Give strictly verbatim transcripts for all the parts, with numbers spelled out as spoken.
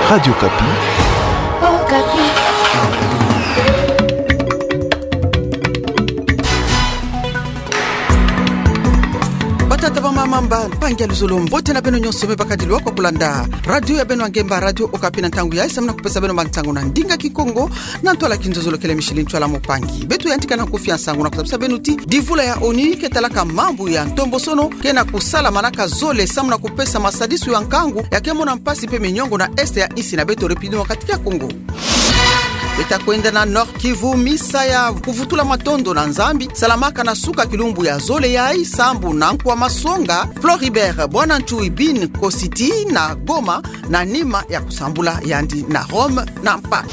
Radio Okapi. Okapi. Batata, bamama, bampangi ya luzolo, mbote na beno nyonso me bakadilu kwa kulanda radio ya beno ya ngemba, Radio Okapi, na ntangu yayi samu na kupesa beno bansangu na ndinga Kikongo, na ntwala kinzozolo kele Micheline Ntwala Mpangi. Beto yantika na kufia nsangu na kuzabisa beno ti divula ya ONU ke talaka mambu ya ntombosono ke na kusala manaka zole samu na kupesa masadisu ya nkangu ya ke mona mpasi mpe minyongo na est ya insi na beto, République Démocratique ya Congo. Beta kwenda na Nord-Kivu, misa ya kuvutula matondo na Nzambi salamaka na suka kilumbu ya zole yayi, sambu na nkwa masonga Floribert Bwanantsoe Bin Kositi na Goma, na nima ya kusambula yandi na Rome na mpa.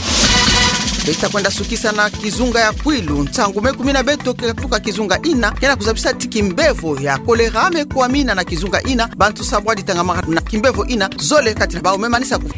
Beta kwenda sukisa na kizunga ya Kwilu. Nsangu me kumina beto ke katuka kizunga ina ke na kuzabisa ti kimbevo ya kolera me kwamina na kizunga ina, bantu sambwadi tangamaka na kimbevo ina, zole kati na bawu me manisa ku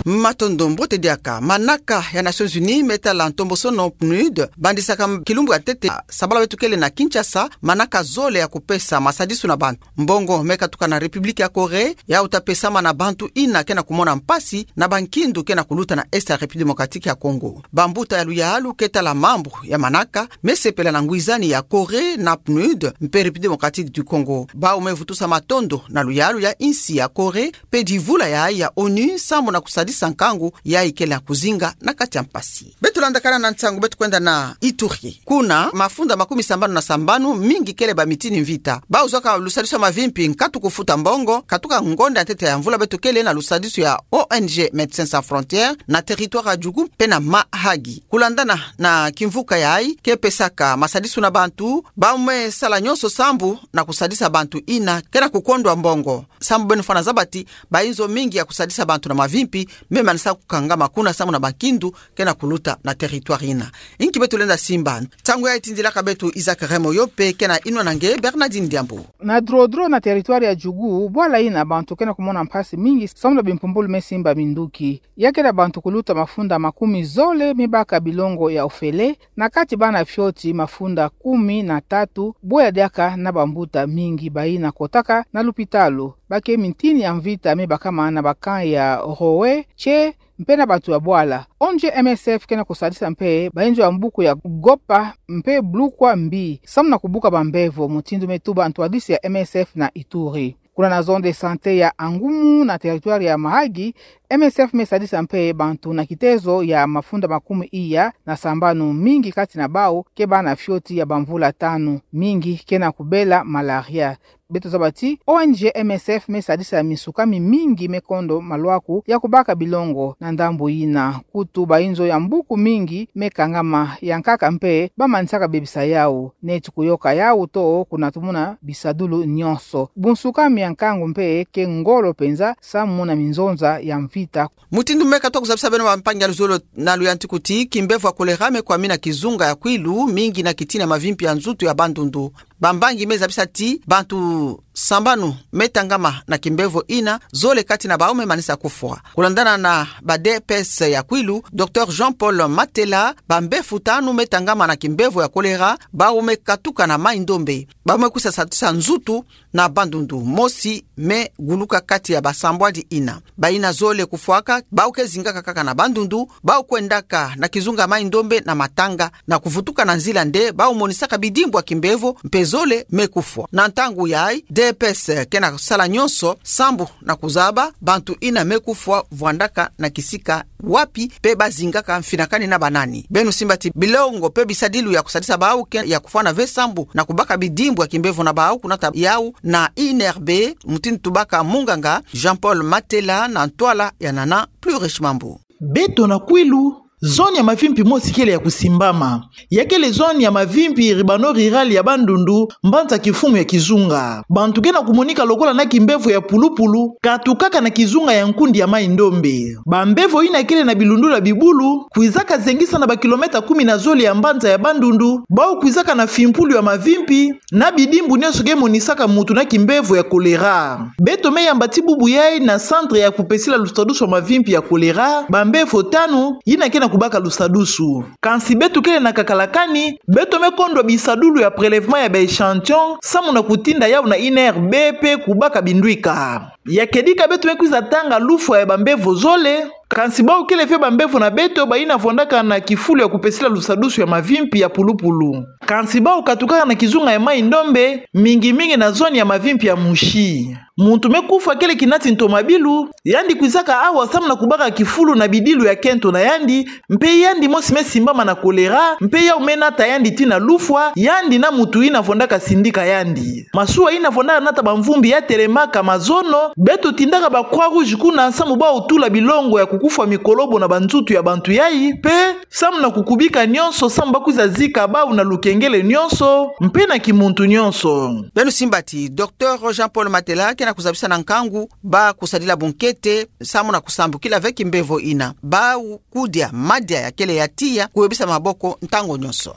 Matondo, mbote diaka. Manaka ya Nations Unies me tala ntombosono, PNUD, bandisaka kilumbu ya ntete sabala beto kele na Kinshasa manaka zole ya kupesa masadisu na bantu. Mbongo me katuka na République ya Corée, yawu ta pesama na bantu ina ke na kumona mpasi na bankindu ke na kuluta na est ya République Démocratique ya Congo. Bambuta ya luyalu ke tala mambu ya manaka me sepela na ngwizani ya Corée na PNUD mpe République Démocratique du Congo. Bawu me vutusa matondo na luyalu ya insi ya Corée mpe divula yayi ya ONU sambu na kusadisa nkangu yayi kele na kuzinga na kati ya mpasi. Beto landakana na nsangu, beto kwenda na Ituri. Kuna, mafunda makumi sambanu na sambanu mingi kele ba mitini mvita. Bawu zwaka lusadisu ya mavimpi, nkatu kufuta mbongo, katuka ngonda ya ntete ya mvula beto kele na lusadisu ya ONG Médecins Sans Frontières na territoire ya Djugu mpe na Mahagi. Kulandana na kimvuka yayi ke pesaka masadisu na bantu, bawu me sala nyonso sambu na kusadisa bantu ina ke na kukondwa mbongo. Sambu beno fwana zaba ti bayinzo mingi ya kusadisa bantu na mavimpi me manisa kukangama kuna sambu na bankindu ke na kuluta na territoire ina. Inki beto lenda simba? Nsangu yayi tindilaka beto Isaac Remo, yo mpe ke na inwa na nge Bernardine Diambu. Na Drodro na territoire ya Djugu, bwala ina bantu ke na kumona mpasi mingi sambu na bimpumbulu me simba minduki. Ya kele bantu kuluta mafunda makumi zole me baka bilongo ya ofele, na kati bana fioti mafunda kumi na tatu, bwe ya diaka na bambuta mingi bayina kotaka na lupitalu. Ba ke mitini ya mvita me bakama na ba camp ya Rowe, Tse, mpe na bantu ya bwala. ONG M S F ke na kusadisa mpe bayinzo ya mbuku ya Gopa mpe Blukwa Mbi, samu na kubuka bambevo, mutindu me tuba ntwadisi ya M S F na Ituri. Kuna na zone de santé ya Angumu na territoire ya Mahagi, M S F me sadisa mpe bantu na kitezo ya mafunda makumi iya na sambanu, mingi kati na bawu ke bana fioti ya bamvula tanu, mingi ke na kubela malaria. Beto zaba ti O N G M S F me sadisa misukami mingi me kondo malwaku ya kubaka bilongo na ndambu yina. Kutu bayinzo ya mbuku mingi me kangama, ya nkaka mpe ba manisaka bebisa yawu. Neti kuyoka yawu to kuna tumuna bisadulu nyonso. Bunsukami ya nkangu mpe ke ngolo penza samu na minzonza ya mvita. Mutindu me katuka kuzabisa beno bampangi ya luzolo na luyantiku ti, kimbevo ya kolera me kwamina kizunga ya Kwilu, mingi na kitina mavimpi ya nzutu ya Bandundu. Bambangi me zabisa ti bantu sambanu me tangama na kimbevo yina, zole kati na bawu me manisa kufwa. Kulandana na ba D P S ya Kwilu, Docteur Jean-Paul Matela, bambefu tanu me tangama na kimbevo ya kolera, bawu me katuka na Mai-Ndombe. Bawu me kwisa sa, sa nzutu na Bandundu. Mosi me guluka kati ya basambwadi yina. Bayina zole kufwaka, bawu ke zingaka kaka na Bandundu, bawu kwendaka na kizunga Mai-Ndombe na matanga, na kuvutuka na nzila nde bawu monisaka bidimbu ya kimbevo, mpe zole me kufwa. Na ntangu yayi, D P S ke na sala nyonso sambu na kuzaba bantu yina me kufwa vwandaka na kisika wapi, mpe ba zingaka mfinakani na banani. Beno simba ti bilongo mpe bisadilu ya kusadisa bawu ke ya kufwana ve sambu na kubaka bidimbu ya kimbevo na bawu, kunata yawu na I N R B, mutindu tubaka munganga Jean-Paul Matela na ntwala ya Nana Plurish Mambu. Beto na Kwilu, zone ya mavimpi mosi kele ya kusimbama. Ya kele zone ya mavimpi urbaino-rural ya Bandundu, mbanza kimfumu ya kizunga. Bantu ke na kumonika lokola na kimbevo ya pulupulu, katukaka na kizunga ya nkundi ya Mai-Ndombe. Bambevo yina kele na bilundula bibulu, kwizaka zengisa na bakilometa kumi na zole ya mbanza ya Bandundu, bawu kwizaka na fimpulu ya mavimpi, na bidimbu nyonso ke monisaka mutu na kimbevo ya kolera. Beto me yamba ti bubu yayi na centre ya kupesila lusadusu ya mavimpi ya kolera, bambevo tanu, yina ke na kubaka lusadusu. Kansi beto kele na kakalakani, beto me kondwa bisadulu ya prélèvement ya ba échantillon, samu na kutinda yau na INRB pe kubaka bindwika. Ya kedika beto me kwiza tanga lufwa ya bambevo zole, kansi bau kele ve bambevo na beto bayina vwandaka na kifulu ya kupesila lusadusu ya mavimpi ya pulupulu. Kansi bau katukaka na kizunga ya Mai-Ndombe, mingi mingi na zone ya mavimpi ya Mouchy. Muntu me kufwa kele kinati ntomabilu, yandi kwizaka awa samu na kubaka kifulu na bidilu ya kento na yandi, mpe yandi mosi me simbama na choléra, mpe yau me nata yandi tii na lufwa, yandi na muntu yina vwandaka sindika yandi. Masuwa yina vwandaka nata bamvumbi ya telemaka mazono, beto tindaka ba Croix-Rouge kuna samu bau tula bilongo ya kukufwa mikolobo na banzutu ya bantu yayi, mpe samu na kukubika nyonso, samu bakwiza zika bau na lukengele nyonso, mpe na kimuntu nyonso. Beno simba ti, Docteur Jean-Paul Matela ke na kuzabisa na nkangu ba kusadila bunkete, samu na kusambukila ve kimbevo yina. Bau kudia madia ya kele ya tiya, kuyebisa maboko ntangu nyonso.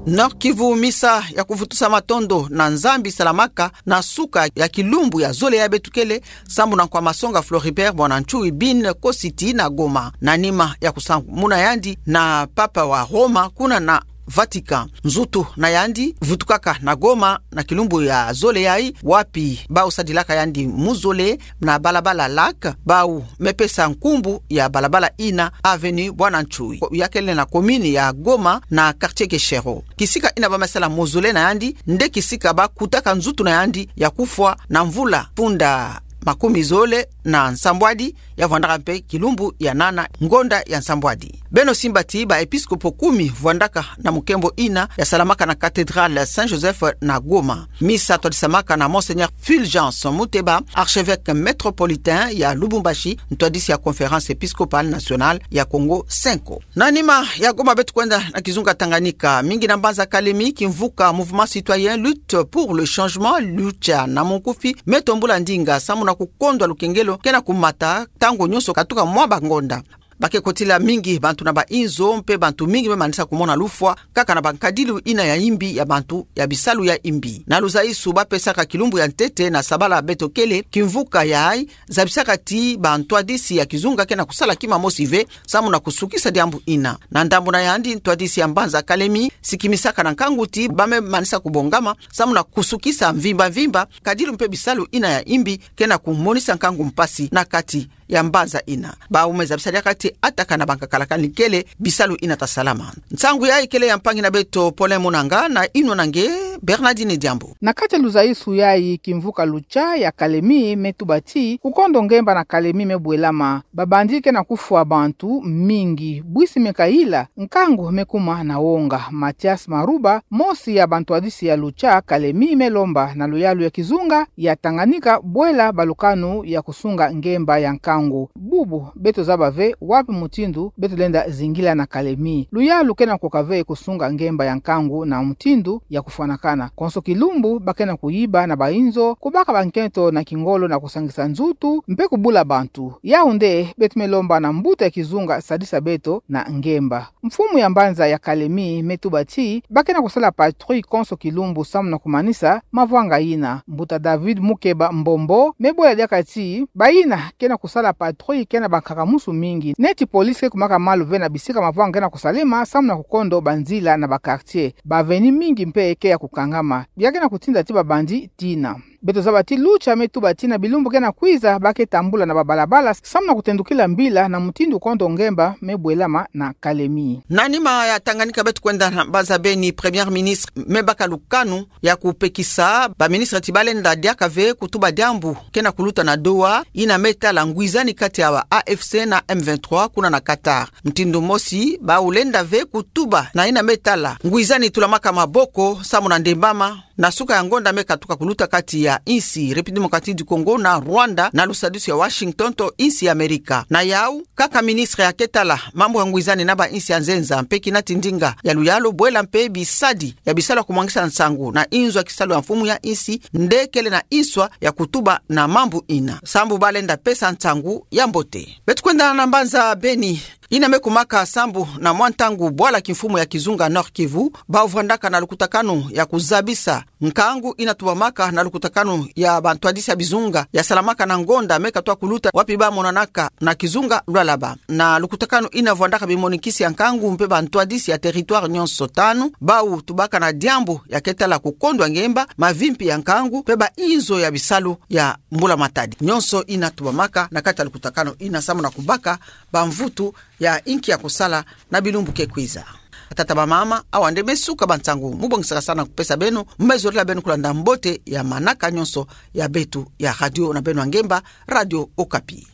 Nord-Kivu, misa ya kuvutusa matondo na Nzambi salamaka na suka ya kilumbu ya zole ya beto kele, samu na nkwa masonga Floribert Bwanantsoe Bin Kositi na Goma, na nima ya kusakumuna yandi na Papa wa Roma kuna na Vatican. Nzutu na yandi vutukaka na Goma na kilumbu ya zole yayi, wapi bau sadilaka yandi muzole na balabala Lac, bau me pesa nkumbu ya balabala yina Avenue Bwanantsoe, ya kele na commune ya Goma na quartier Keshero. Kisika yina ba me sala mausolée na yandi, nde kisika ba kutaka nzutu na yandi ya kufwa na mvula funda makumi zole na nsambwadi, ya vwandaka mpe kilumbu ya nana ngonda ya nsambwadi. Beno simba ti ba episkopo kumi vwandaka na mukembo yina ya salamaka na cathédrale Saint Joseph na Goma. Misa twadisamaka na Monseigneur Fulgence Muteba, archevêque métropolitain ya Lubumbashi, ntwadisi ya Conférence épiscopale nationale ya Kongo Central. Na nima ya Goma beto kwenda na kizunga Tanganyika, mingi na mbanza Kalemi, kimvuka Mouvement Citoyen Lutte pour le Changement, Lucha na munkufi, me tombula ndinga samu na kukondwa lukengelo ke na kumata ntangu nyonso katuka mwa bangonda. Ba ke kotila mingi bantu na ba inzo, mpe bantu mingi me manisa kumona lufwa, kaka na bankadilu yina ya imbi ya bantu ya bisalu ya imbi. Na luzaisu ba pesaka kilumbu ya ntete na sabala beto kele, kimvuka yayi zabisaka ti bantwadisi ya kizunga ke na kusala kima mosi ve samu na kusukisa diambu yina. Na ndambu na yandi, ntwadisi ya mbanza Kalemi sikimisaka na nkangu ti ba me manisa kubongama samu na kusukisa mvimba mvimba kadilu mpe bisalu yina ya imbi ke na kumonisa nkangu mpasi na kati ya mbanza yina. Bau me zabisa diaka ti ataka na bankakalakani kele bisalu yina ta salama. Nsangu yayi kele ya mpangi na beto Paulin Munanga, na inwa na nge Bernardine Diambu. Na kati ya luzaisu yayi, kimvuka Lucha ya Kalemi me tuba ti kukondo ngemba na Kalemi me bwelama. Babandi ke na kufwa bantu mingi, bwisi me kayila, nkangu me kuma na wonga. Mathias Maruba, mosi ya bantwadisi ya Lucha Kalemi, me lomba na luyalu ya kizunga ya Tanganyika bwela balukanu ya kusunga ngemba ya nkangu. Bubu beto zaba ve wapi mutindu beto lenda zingila na Kalemi. Luyalu ke na koka ve kusunga ngemba ya nkangu na mutindu ya kufwanakana. Konso kilumbu ba ke na kuyiba na ba inzo, kubaka bankento na kingolo na kusangisa nzutu, mpe kubula bantu. Yau nde beto me lomba na mbuta ya kizunga sadisa beto na ngemba. Mfumu ya mbanza ya Kalemi me tuba ti ba ke na kusala patrouille konso kilumbu samu na kumanisa mavwanga yina. Mbuta David Mukeba Mbombo me bwela diaka ti bayina ke na kusala patrouille ke na bankaka-musu mingi. Neti police ke kumaka malu ve na bisika mavwanga ke na kusalema samu na kukondo banzila na ba quartier. Ba avenue mingi mpe ke ya kukangama. Bia ke na kutinda ti babandi tina. Beto zaba ti Lucha me tuba ti na bilumbu ke na kwiza ba ke tambula na babalabala samu na kutendukila mbila na mutindu kondo ngemba me bwelama na Kalemi. Na nima ya Tanganyika beto kwenda na mbanza Beni, Premier Ministre me baka lukanu ya kupekisa ba ministre ti ba lenda diaka ve kutuba diambu ke na kuluta na Doha, yina me tala ngwizani kati ya ba A F C na M vingt-trois kuna na Qatar. Mutindu mosi, bau lenda ve kutuba na yina me tala ngwizani tulamaka maboko samu na ndembama na suka ya ngonda me katuka kuluta kati ya insi République Démocratique du Congo na Rwanda na lusadisu ya Washington to insi ya Amerika. Na yau, kaka ministre ya ke tala mambu ya ngwizani na ba insi ya nzenza mpe kinati ndinga ya luyalu bwela mpe bisadi ya bisalu ya kumwangisa nsangu na inzo ya kisalu ya mfumu ya insi nde kele na inswa ya kutuba na mambu yina. Sambu ba lenda pesa nsangu ya mbote. Beto kwenda na mbanza Beni. ina me kumaka sambu na mwa ntangu bwala kimfumu ya kizunga Nord-Kivu, bau vwandaka na lukutakanu ya kuzabisa nkangu ina tubamaka na lukutakanu ya bantwadisi ya bizunga ya salamaka na ngonda me katwa kuluta wapi bamonanaka na kizunga Lualaba. Na lukutakanu ina vwandaka bimonikisi ya nkangu mpe bantwadisi ya territoire nyonso tanu, bau tubaka na diambu ya ketala kukondwa ngemba, mavimpi ya nkangu, mpe bainzo ya bisalu ya mbula matadi. Nyonso ina tubamaka na kati ya lukutakanu ina samu na kubaka bamvutu ya inki ya kusala na bilumbu ke kwiza. Batata, bamama, awa nde me suka ba nsangu mu bongisaka sana kupesa beno, me zorila beno kulanda mbote ya manaka nyonso ya beto ya radio na beno ya ngemba, Radio Okapi.